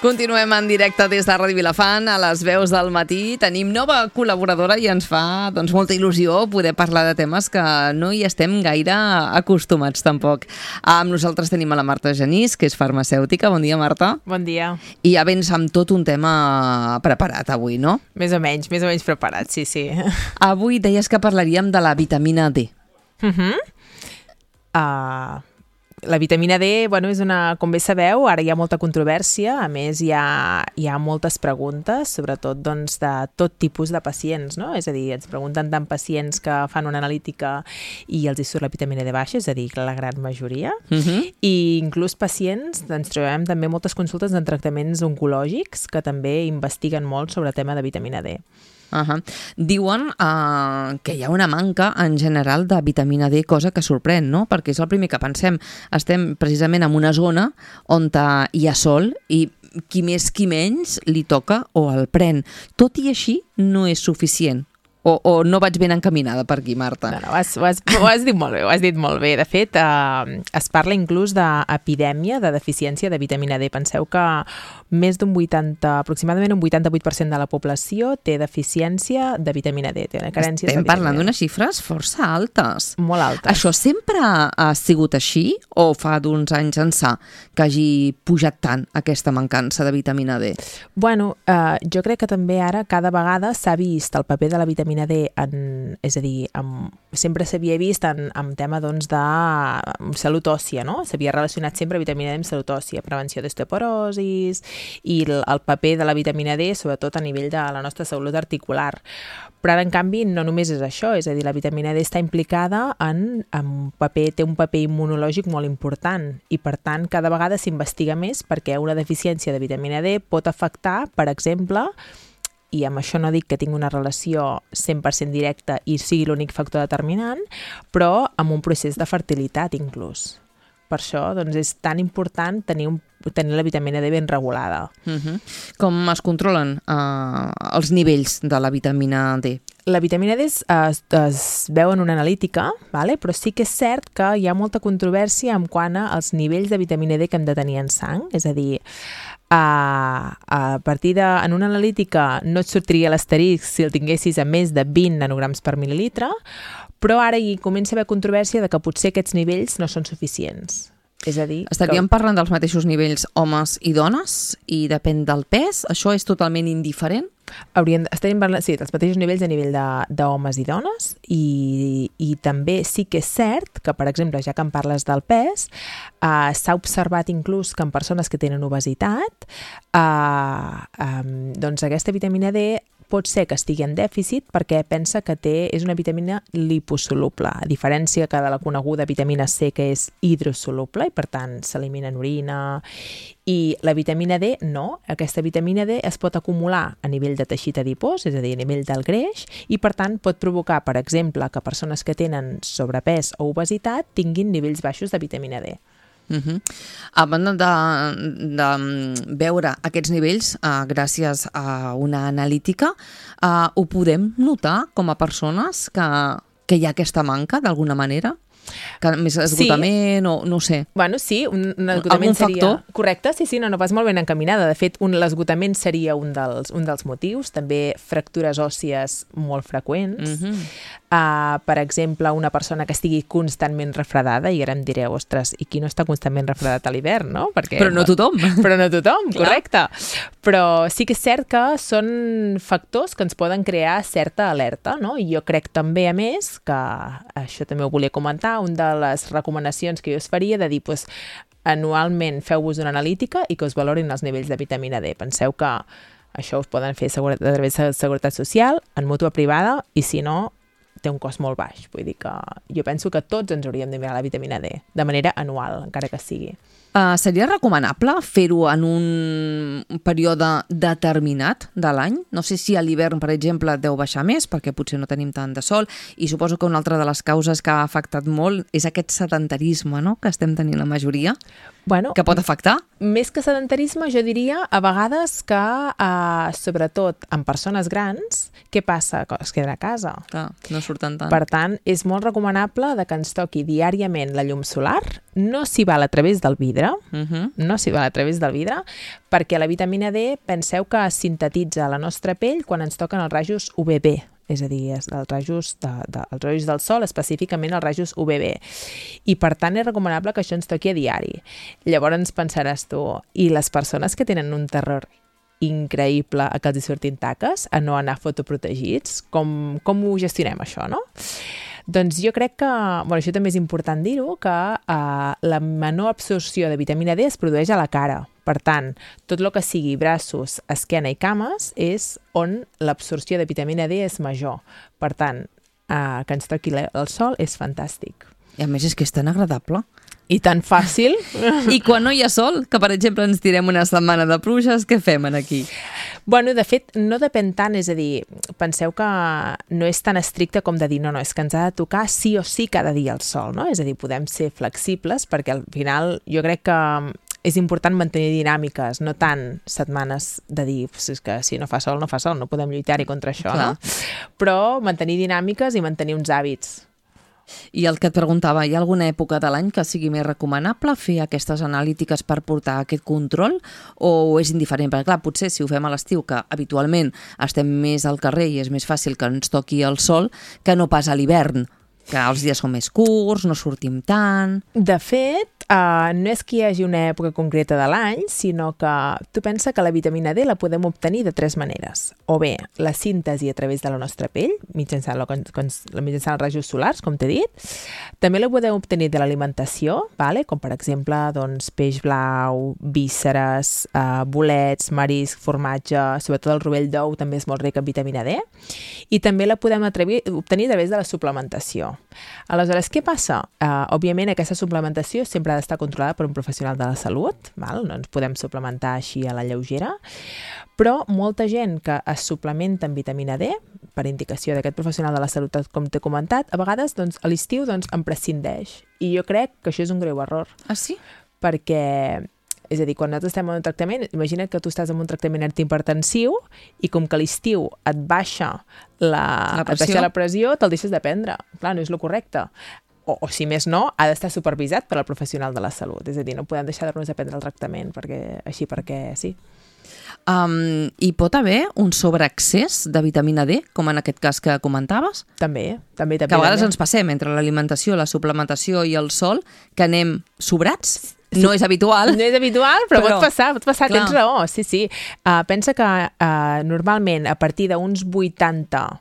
Continuem en directe des de Ràdio Vilafant, a les veus del matí. Tenim nova col·laboradora i ens fa molta il·lusió poder parlar de temes que no hi estem gaire acostumats tampoc. Amb nosaltres tenim a la Marta Genís, que és farmacèutica. Bon dia, Marta. Bon dia. I ja vens amb tot un tema preparat avui, no? Més o menys preparat, sí. Avui deies que parlaríem de la vitamina D. La vitamina D, és com bé sabeu, ara hi ha molta controvèrsia, a més hi ha moltes preguntes, sobretot de tot tipus de pacients, no? És a dir, ens pregunten tant pacients que fan una analítica i els hi surt la vitamina D baixa, és a dir, la gran majoria, i inclús pacients, ens trobem també moltes consultes en tractaments oncològics que també investiguen molt sobre el tema de vitamina D. Diuen que hi ha una manca en general de vitamina D, cosa que sorprèn, no? Perquè és el primer que pensem. Estem precisament en una zona on hi ha sol i qui més qui menys li toca o el pren. Tot i així no és suficient. O no vaig ben encaminada per aquí, Marta? No, ho has dit molt bé, De fet, es parla inclús d'epidèmia de deficiència de vitamina D. Penseu que aproximadament un 88% de la població té deficiència de vitamina D. Estem parlant d'unes xifres força altes. Molt altes. Això sempre ha sigut així o fa d'uns anys ençà que hagi pujat tant aquesta mancança de vitamina D? Jo crec que també ara cada vegada s'ha vist el paper de la vitamina D, és a dir, sempre s'havia vist en tema de salut òssia, no? S'havia relacionat sempre vitamina D amb salut òssia, prevenció d'osteoporosis i el paper de la vitamina D, sobretot a nivell de la nostra salut articular. Però ara, en canvi, no només és això, és a dir, la vitamina D està implicada té un paper immunològic molt important i, per tant, cada vegada s'investiga més perquè una deficiència de vitamina D pot afectar, per exemple, i amb això no dic que tingui una relació 100% directa i sigui l'únic factor determinant, però amb un procés de fertilitat inclús. Per això és tan important tenir la vitamina D ben regulada. Com es controlen els nivells de la vitamina D? La vitamina D es veu en una analítica, però sí que és cert que hi ha molta controvèrsia en quant als nivells de vitamina D que hem de tenir en sang, és a dir, en una analítica no et sortiria l'asterisc si el tinguessis a més de 20 nanograms per mil·lilitre, però ara hi comença a haver controvèrsia de que potser aquests nivells no són suficients. És a dir, estaríem parlant dels mateixos nivells homes i dones i depèn del pes? Això és totalment indiferent? Estaríem parlant, sí, dels mateixos nivells a nivell d'homes i dones i també sí que és cert que, per exemple, ja que em parles del pes, s'ha observat inclús que en persones que tenen obesitat, aquesta vitamina D pot ser que estigui en dèficit perquè pensa que és una vitamina liposoluble, a diferència que de la coneguda vitamina C, que és hidrosoluble i per tant s'elimina en orina. I la vitamina D no, aquesta vitamina D es pot acumular a nivell de teixit adipós, és a dir, a nivell del greix, i per tant pot provocar, per exemple, que persones que tenen sobrepès o obesitat tinguin nivells baixos de vitamina D. A banda de veure aquests nivells gràcies a una analítica, ho podem notar com a persones que hi ha aquesta manca d'alguna manera? Que més esgotament o no sé. Sí, un esgotament seria... Correcte, sí, no vas molt ben encaminada. De fet, l'esgotament seria un dels motius. També fractures òssies molt freqüents. Per exemple, una persona que estigui constantment refredada, i ara em direu, ostres, i qui no està constantment refredat a l'hivern, no? Però no tothom. Però no tothom, correcte. Però sí que és cert que són factors que ens poden crear certa alerta, no? I jo crec també, a més, que això també ho volia comentar, una de les recomanacions que jo us faria de dir, anualment feu-vos una analítica i que us valorin els nivells de vitamina D. Penseu que això us poden fer a través de Seguretat Social, en mútua privada, i si no, té un cost molt baix. Vull dir que jo penso que tots ens hauríem de mirar la vitamina D, de manera anual, encara que sigui. Seria recomanable fer-ho en un període determinat de l'any? No sé si a l'hivern, per exemple, deu baixar més, perquè potser no tenim tant de sol, i suposo que una altra de les causes que ha afectat molt és aquest sedentarisme, no?, que estem tenint la majoria, que pot afectar. Més que sedentarisme, jo diria a vegades que, sobretot en persones grans, què passa? Que es queden a casa. No surten tant. Per tant, és molt recomanable que ens toqui diàriament la llum solar, no s'hi val a través del vidre, no s'hi val a través del vidre, perquè la vitamina D, penseu que es sintetitza a la nostra pell quan ens toquen els rajos UVB, és a dir, els rajos del sol, específicament els rajos UVB. I per tant és recomanable que això ens toqui a diari. Llavors pensaràs tu, i les persones que tenen un terror increïble a que els hi surtin taques, a no anar fotoprotegits, com ho gestionem això, no? Doncs jo crec que, això també és important dir-ho, que la menor absorció de vitamina D es produeix a la cara. Per tant, tot el que sigui braços, esquena i cames és on l'absorció de vitamina D és major. Per tant, que ens toqui el sol és fantàstic. I a més és que és tan agradable. I tan fàcil. I quan no hi ha sol, que per exemple ens tirem una setmana de pluges, què fem aquí? Bueno, de fet, no depèn tant, és a dir, penseu que no és tan estricte com de dir, no, és que ens ha de tocar sí o sí cada dia el sol, no? És a dir, podem ser flexibles perquè al final jo crec que és important mantenir dinàmiques, no tant setmanes de dir és que si no fa sol, no fa sol, no podem lluitar-hi contra això, Clar. no? Però mantenir dinàmiques i mantenir uns hàbits. I el que et preguntava, hi ha alguna època de l'any que sigui més recomanable fer aquestes analítiques per portar aquest control o és indiferent? Perquè clar, potser si ho fem a l'estiu, que habitualment estem més al carrer i és més fàcil que ens toqui el sol, que no pas a l'hivern, que els dies són més curts, no sortim tant... De fet, no és que hi hagi una època concreta de l'any, sinó que tu pensa que la vitamina D la podem obtenir de tres maneres. O bé, la síntesi a través de la nostra pell, mitjançant els rajos solars, com t'he dit. També la podem obtenir de l'alimentació, com per exemple peix blau, vísceres, bolets, marisc, formatge, sobretot el rovell d'ou també és molt ric en vitamina D. I també la podem obtenir a través de la suplementació. Aleshores, què passa? Òbviament, aquesta suplementació sempre ha d'estar controlada per un professional de la salut, no ens podem suplementar així a la lleugera, però molta gent que es suplementa amb vitamina D, per indicació d'aquest professional de la salut, com t'he comentat, a vegades a l'estiu en prescindeix. I jo crec que això és un greu error. Ah, sí? Perquè... És a dir, quan nosaltres estem en un tractament, imagina que tu estàs en un tractament antihipertensiu i com que a l'estiu et baixa la pressió, te'l deixes de prendre. Clar, no és el correcte. O si més no, ha d'estar supervisat per al professional de la salut. És a dir, no podem deixar de prendre el tractament perquè sí. Hi pot haver un sobreaccés de vitamina D, com en aquest cas que comentaves? També. Que a vegades ens passem entre l'alimentació, la suplementació i el sol, que anem sobrats. No és habitual. No és habitual, però pot passar, tens raó, sí. Pensa que normalment a partir d'uns 80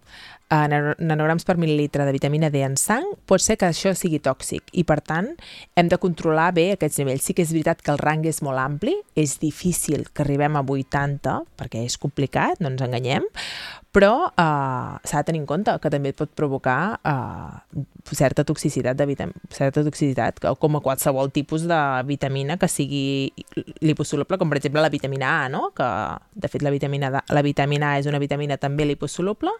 nanograms per mil·lilitre de vitamina D en sang, pot ser que això sigui tòxic i, per tant, hem de controlar bé aquests nivells. Sí que és veritat que el rang és molt ampli, és difícil que arribem a 80, perquè és complicat, no ens enganyem, però s'ha de tenir en compte que també pot provocar certa toxicitat, com a qualsevol tipus de vitamina que sigui liposoluble, com per exemple la vitamina A, no? Que de fet la vitamina A és una vitamina també liposoluble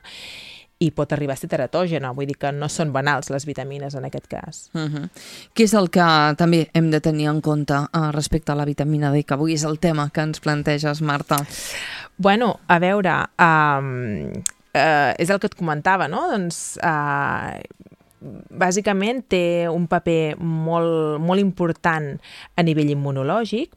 i pot arribar a ser teratògena, vull dir que no són banals les vitamines en aquest cas. Què és el que també hem de tenir en compte respecte a la vitamina D, que avui és el tema que ens planteges, Marta? Bueno, a veure, és el que et comentava, no? Bàsicament té un paper molt important a nivell immunològic,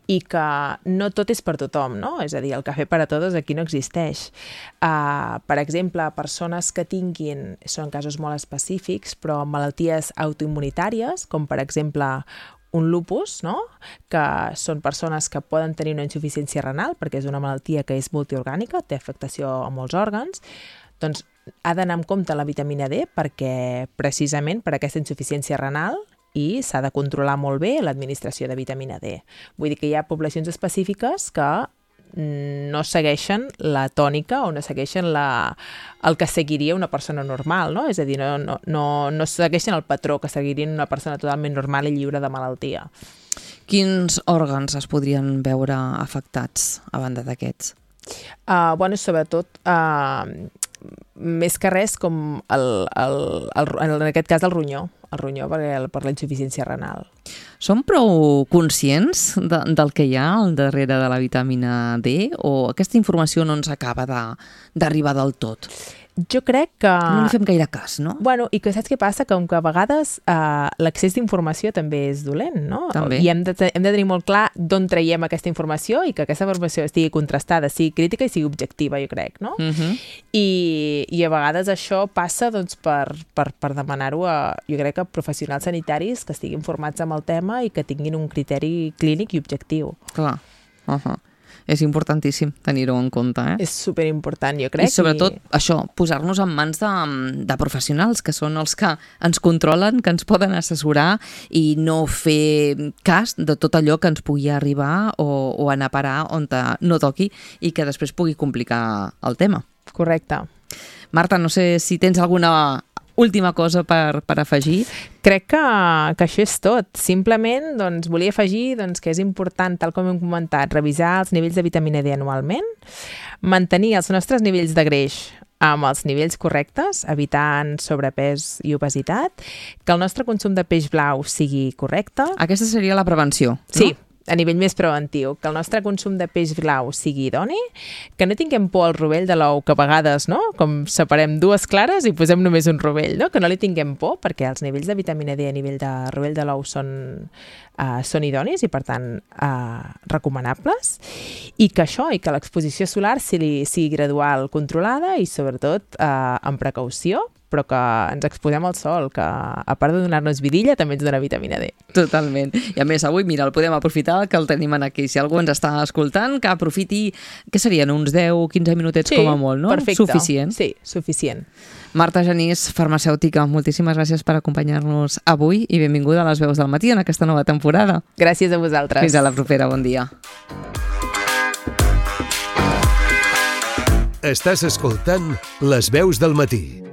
i que no tot és per tothom, no? És a dir, el cafè per a tots aquí no existeix. Per exemple, persones que tinguin, són casos molt específics, però malalties autoimmunitàries, com per exemple un lupus, no? Que són persones que poden tenir una insuficiència renal, perquè és una malaltia que és multiorgànica, té afectació a molts òrgans, doncs ha d'anar amb compte la vitamina D perquè precisament per aquesta insuficiència renal i s'ha de controlar molt bé l'administració de vitamina D. Vull dir que hi ha poblacions específiques que no segueixen la tònica o no segueixen el que seguiria una persona normal, no? És a dir, no segueixen el patró que seguiria una persona totalment normal i lliure de malaltia. Quins òrgans es podrien veure afectats a banda d'aquests? Sobretot més que res com en aquest cas el ronyó per la insuficiència renal. Som prou conscients del que hi ha al darrere de la vitamina D o aquesta informació no ens acaba d'arribar del tot? Jo crec que... No li fem gaire cas, no? Bueno, i que saps què passa? Que a vegades l'accés d'informació també és dolent, no? També. I hem de tenir molt clar d'on traiem aquesta informació i que aquesta informació estigui contrastada, sigui crítica i sigui objectiva, jo crec, no? I a vegades això passa doncs, per demanar-ho jo crec que professionals sanitaris que estiguin formats amb el tema i que tinguin un criteri clínic i objectiu. Clar. És importantíssim tenir-ho en compte, És superimportant, jo crec. I sobretot, això, posar-nos en mans de professionals, que són els que ens controlen, que ens poden assessorar i no fer cas de tot allò que ens pugui arribar o anar a parar on no toqui i que després pugui complicar el tema. Correcte. Marta, no sé si tens alguna última cosa per afegir. Crec que això és tot. Simplement doncs, volia afegir que és important, tal com hem comentat, revisar els nivells de vitamina D anualment, mantenir els nostres nivells de greix amb els nivells correctes, evitant sobrepès i obesitat, que el nostre consum de peix blau sigui correcte. Aquesta seria la prevenció, no? Sí, a nivell més preventiu, que el nostre consum de peix blau sigui idoni, que no tinguem por al rovell de l'ou, que a vegades, no?, com separem dues clares i posem només un rovell, no?, que no li tinguem por, perquè els nivells de vitamina D a nivell de rovell de l'ou són idonis i, per tant, recomanables, i que l'exposició solar sigui gradual, controlada i, sobretot, amb precaució, però que ens exposem al sol, que a part de donar-nos vidilla també ens dona vitamina D. Totalment. I a més, avui, mira, el podem aprofitar, que el tenim aquí. Si algú ens està escoltant, que aprofiti, què serien, uns 10-15 minutets com a molt, no? Perfecte. Suficient. Sí, suficient. Marta Genís, farmacèutica, moltíssimes gràcies per acompanyar-nos avui i benvinguda a Les Veus del Matí en aquesta nova temporada. Gràcies a vosaltres. Fins a la propera, bon dia. Estàs escoltant Les Veus del Matí.